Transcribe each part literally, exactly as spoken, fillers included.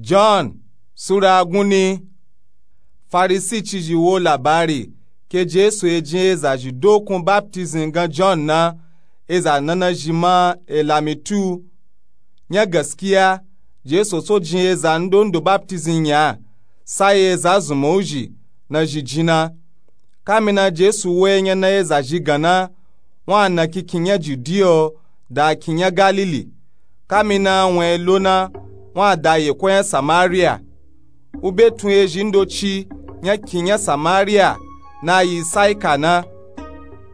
John sura guni. Farisi cizhi wo labari ke jesu e jin eza zhi dokun baptism gan john na. Eza nana zhi ma e lamitu. Nya gaskiya jesu so jin eza ndondo baptism nya. Sayi eza zunmu zhi na zhi jin na. Kamina jesu wo enya na eza zhi gan na. Wun a na kinkin nya judiya o da kin nya galili. Kamina wun a lo na wun a da yeko nya samariya. Wu be tun ezhi ndoci nya kin nya samariya na yi saika na.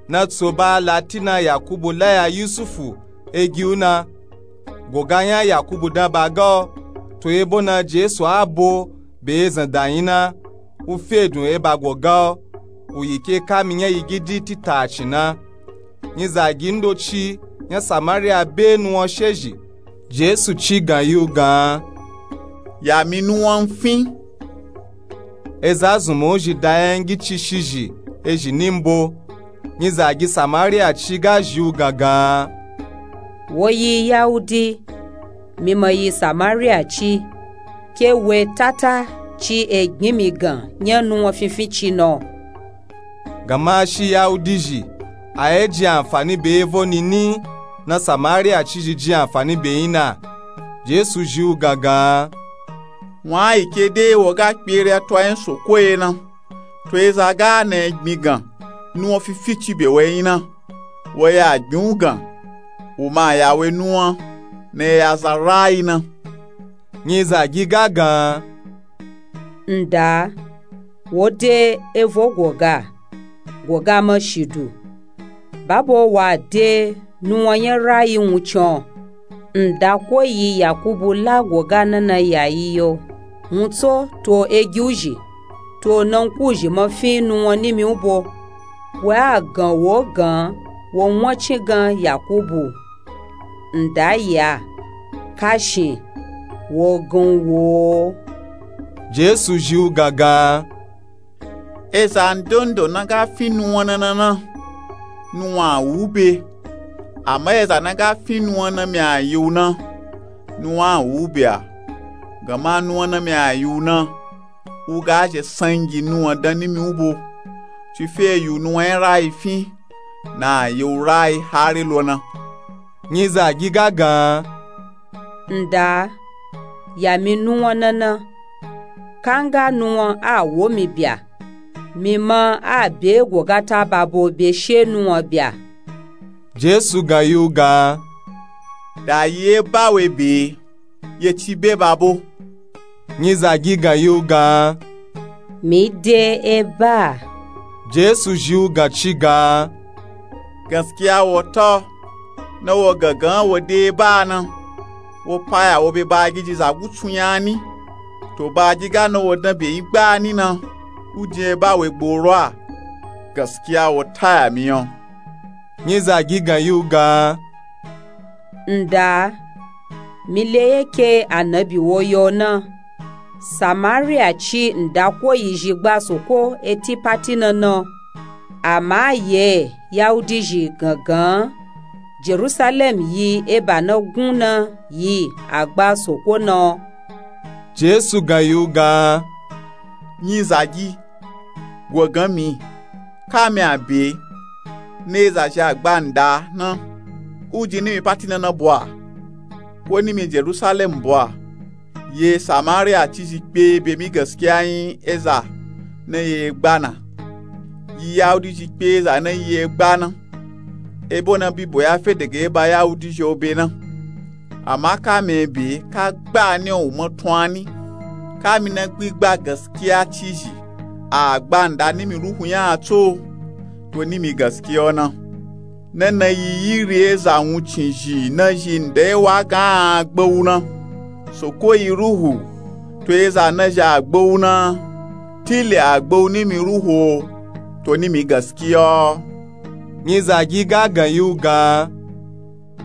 Na tso ba latina yakubu laya yusufu egi wu na. Goga nya yakubu dan ba ga o. To ebo na jesu a bo be ezan da yin na. Wu fe dun eba goga o. Wu yi ke kami nya yi gidi titaci na. Nyizagi ndoci nya samariya be nuwan shezhi. Jesu ci gan yi wu gan. Ya mi nuwan fin. Eza zunmu zhi da nya ngi ci shizhi ezhi ni mbo. Nyizagi samariya ci ga zhi wu gan gan. Wo yi yahudi. Mi ma yi samariya ci. Ke we tata ci e gbin mi gan nya nuwan finfin ci na o. Gama shi yahudi zhi a ye jin anfani be evo nini na samariya cizhi jin anfani be yin na. Jesu zhi wu gan gan. Wun a yi ke de wo ga kpere a to a yin soko ye na. To eza ga na e gbin gan nuwan finfin ci be wo yin na. Wo ya gbin wu gan. Wu ma ya we nuwan na e ya za rayi na. Nyizagi ga gan. Nda wo de evo goga. Goga ma shidu. Babo wa de nuwan nya rayi wuncin o. Nda ko yi yakubu la goga nana ya yi yo. Wuntso to egi wu zhi. To nanku zhi ma fin nuwan nimi wu bo. Wa a gan wo gan wo wancin gan yakubu. Nda ya kashin wo gan wo. Jesu zhi wu gan gan. Eza ndondo na ga fin nuwan nana na nuwan a wu be. Ama eza na ga fin nuwan na mi a yi wu na nuwan a wu be a. Gama nuwan na mi a yi wu na wu ga zhe sangi nuwan dan nimi wu bo. Ci fe yi wu nuwan nya rayi fin na a yi wu rayi hari lo na. Nyizagi ga gan. Nda ya mi nuwan nana. Kanga nuwan a wo mi bya. Mi ma a be gogata babo be she nuwan bya. Jesu gan yi wu gan. Da yi e ba we be ye ci be babo. Nyizagi gan yi wu gan. Mi de e ba. Jesu zhi wu gan ci gan. Gaskiya wo ta o. Na wo gangan wo de e ba na. Wo paya wo be bagiji za gutsu nya ni. To bagiga na wo dan be yi gba ni na. Wu jin e ba we gboro a. Gaskiya wo ta ya mi o. Nyizagi gan yi wu gan. Nda mi le ye ke anabi wo yo na. Samariya ci nda ko yi zhi gba soko eti pati na na. Ama ye yahudi zhi gangan jerusalem yi eba na gun na yi a gba soko na. Jesu gan yi wu gan. Nyizagi wo gan mi. Ka mi a be na eza zhi a gba nda na. Wu jin nimi pati na na bo a. Ko nimi jerusalem bo a. Ye samariya cizhi kpe be mi gaskiya yin eza na ye gba na. Yi yahudi zhi kpe eza na yi ye gba na. Ebo na bibo ya fe dege eba yahudi zhi o be na. Ama ka mi e be ka gba ni o wu ma tun a ni. Ka mi na gbigba gaskiya cizhi a gba nda nimi ruhu nya a tso. To nimi gaskiya o na. Na na yi yiri eza wuncin zhi na zhi nda e wa gan a gba wu na. Soko yi ruhu. To eza na zhi a gba wu na. Tili a gba wu nimi ruhu o. To nimi gaskiya o. Nyizagi ga gan yi wu gan.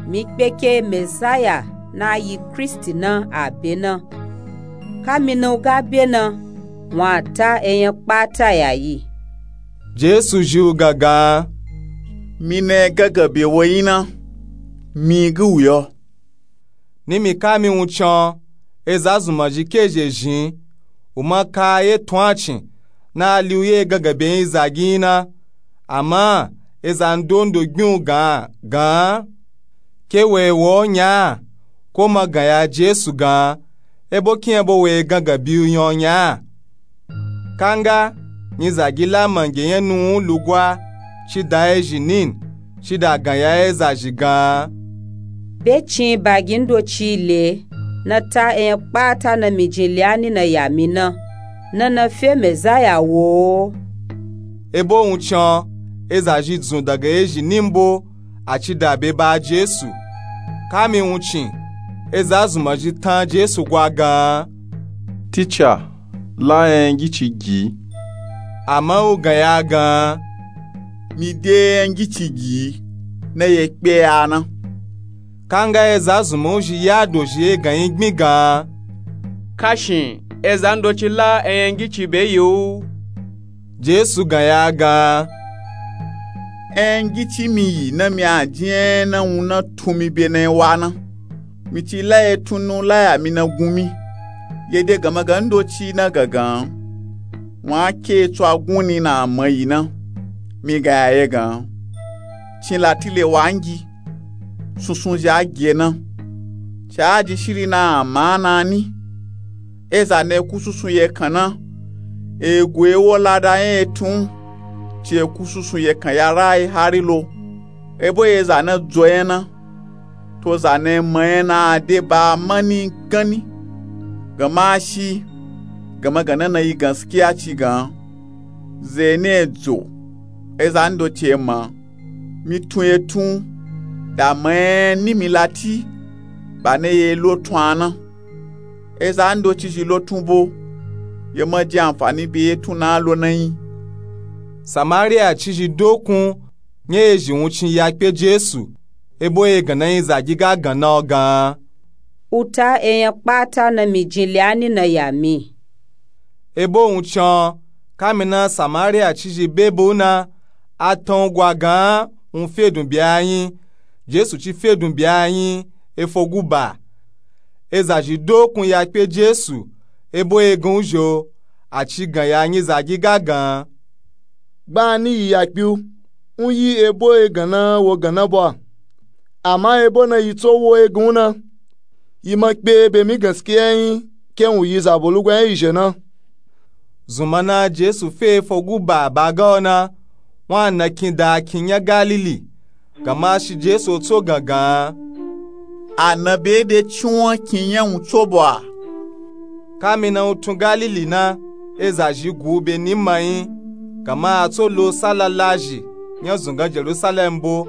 Mi kpe ke mesaya na yi kristi na a be na. Ka mi na wu ga be na wun a ta enya kpata ya yi. Jesu zhi wu gangan. Mi na e gangan be wo yin na. Mi gi wu yo. Nimi ka mi wuncin o. Eza zunmazhi ke zhezhin, u ma ka ye tun a cin na a li u ye gangan be nyizagi nyi na. Ama eza ndondo gbin u gan gan. Ke wo ye wa u nya a, ko ma gan ya jesu gan, ebo kinyabo wo ye gangan bi u nya u nya a? Kanga nyizagi la mange nyanu u lugwa, ci da ezhi nin, ci da gan ya eza zhi gan. Be cin bagi ndoci le, na ta eyan kpata na mi jin le a ni na ya mi na, na na fe mezaya wo o. Ebo wuncin o, eza zhi dzun daga ezhi nin bo, a ci da be ba jesu. Kami wuncin, eza zunmazhi tan jesu gwa gan. Ticha, la eyan ngici gi. Ama u gan ya gan. Mi de eyan ngici gi, na ye kpe ya na. Kanga eza zunma u zhi ya dozhi egan nyi gbin gan. Kashin eza ndoci la eyan ngici be yi u. Jesu gan ya gan. Eyan ngici mi yi na mi a jin eyan na wun na tun mi be na yi wa na. Mi ci la ye tun na u la ya mi na gun mi. Ye de ganmagan ndoci na gangan. Wun a ke tsu a gun ni na a ma yi na. Mi gan ya ye gan. Cin lati le wa ngi. Sunsun zhi a ge na. Ci a jin shiri na a ma na ni. Eza na e ku sunsun ye kan na. E gu e wo lada nya ye tun. Ci e ku sunsun ye kan ya ra yi hari lo. Ebo ye za na dzo nya na. To za na e ma nya na a de ba a ma ni gan ni. Ganma a shi. Ganmagan na na yi ganskiya ci gan. Ze ne dzo. Eza ndoci e ma. Mi tun ye tun, da ma nya ni mi lati, ba na ye lo tun a na. Eza ndoci zhi lo tun bo, ye ma jin anfani be ye tun na lo na nyi. Samariya cizhi dokun nya ezhi wuncin ya kpe jesu, ebo ye gan na nyizagi ga gan na u gan. U ta eyan kpata na mi jin le a ni na ya mi. Ebo wuncin o, kami na samariya cizhi be be u na, a tan u gwa gan wun fedun be a nyi. Jesu ci fedun be a nyi efogu ba. Eza zhi dokun ya kpe jesu, ebo ye gan u zho, a ci gan ya nyizagi ga gan. Gba ni yi ya kpe u, u yi ebo ye gan na wo gan na bo a. Ama ebo na yi tso wo ye gan u na, yi ma kpe be mi ganskiya nyi, ke wun yi zabo lugwa nya yi zhe na. Zunma na jesu fe efogu ba ba ga u na, wun a na kin da kin nya galili. Ganma a shi jesu o tso gan gan. A na be de ciwon kin nya wun tso bo a. Kami na u tun galili na, eza zhi gu u be ni ma nyi. Ganma a tso lo sala lazhi nya zungan jerusalem bo.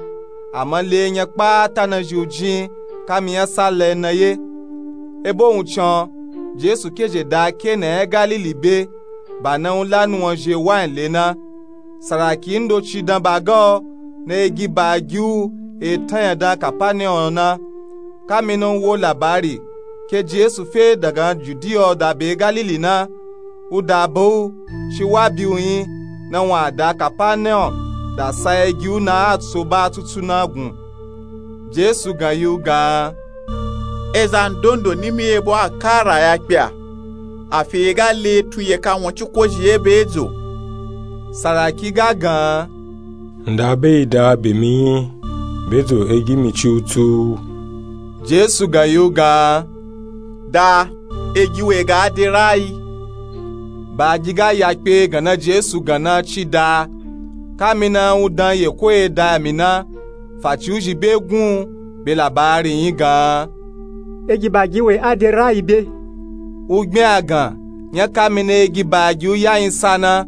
Ama le nya kpata na zhi u jin kami nya sala na ye. Ebo wuncin o, jesu ke zhe da ke na nya galili be, ba na u la nuwan zhi wayin le na. Saraki ndoci dan ba ga u, na ye gi ba gi u e tan nya dan kapaniyom na. Kami na u wo labari ke jesu fe dagan judiya o da be galili na, u da ba u, ci wa bi u nyi, na wun a da kapaniyom da sa ye gi u na a tso ba tutu na gun. Jesu gan yi u gan. Eza ndondo ni mi ye bo a kara ya kpe a. Afi ye ga le tun ye ka won ciko zhi ye be dzo. Saraki ga gan. Nda be yi da be mi nyi, be dzo e gi mi ci u tu. Jesu gan yi u gan. Da, e gi we ga de rayi. Ba gi ga ya kpe gan na jesu gan na ci da. Kami na u dan ye ko ye da mi na. Faci u zhi be gun u be labari nyi gan. Egi ba gi we a de rayi be. U gbin a gan nya kami na egi ba gi u ya nyi sa na.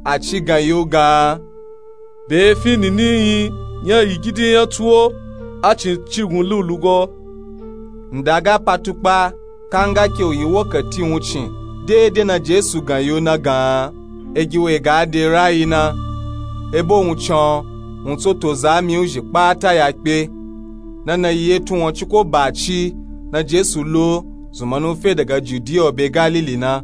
A ci gan yi u gan. Be e fi nini nyi nya yi gidi nya tuwo. A cin ci gun lu lugo. Nda ga pa tukpa. Kanga ke u yi wokati wuncin dede na jesu gan yi u na gan. Egi we ga de rayi na. Ebo wuncin o, wun tso to za mi u zhi kpata ya kpe. Na na yi ye tun won ciko ba ci na jesu lo zunma na u fe daga judiya o be galili na.